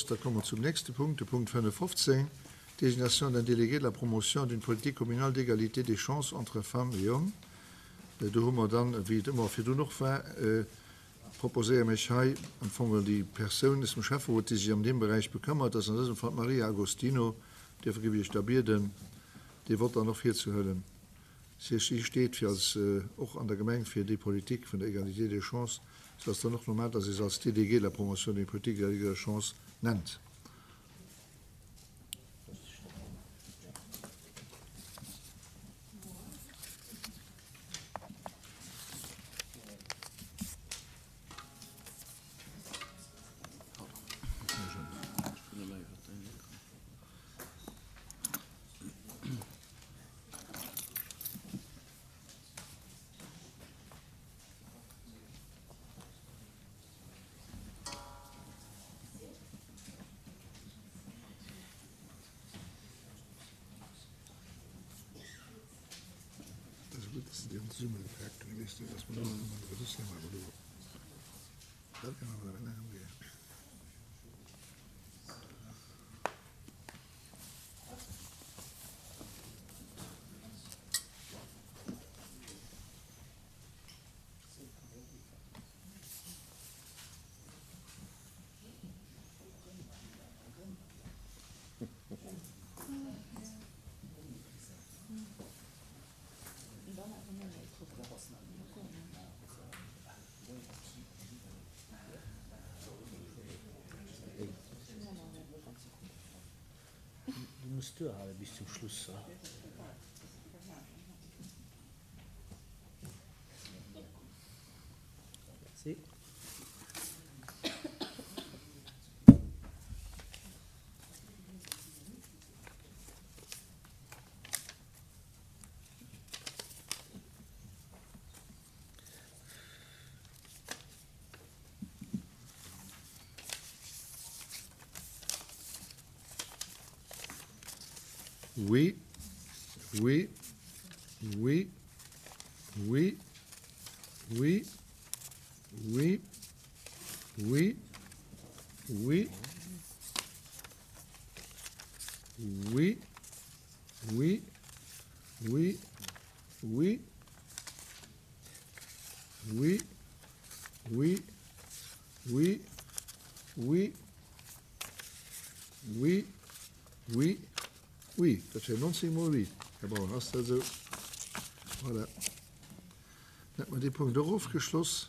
Da komme mer zum nächste Punkt, de Punkt 15, Désignation d'un délégué de la promotion d'une politique communale d'égalité des chances entre femmes et hommes. Do hu mer dann, wéi et ëmmer virdrun och war, proposéiere mech hei am Fong déi Persoun aus dem Schäfferot, déi sech an deem Beräich bekëmmert, dat ass an dësem Fall d'Maria Agostino. Duerfir géif ech Iech da bieden, dee Vott dann och virzehuelen. Si steet fir als, och an der Gemeng fir déi Politik vun der Égalité des chances, sou ass dann och normal, dass ee se als Déléguée de la promotion d'une politique d'égalité des chances nennt. Du muss duerhale bis zum Schluss. Merci. Oui, oui, oui, oui, oui, oui, oui, oui, oui, oui, oui, oui, oui, oui, oui, oui, oui, oui, oui. Dat wier 19 mol oui. Här Braun, ass dat esou? Voilà. Dann hätte mer dee Punkt och ofgeschloss.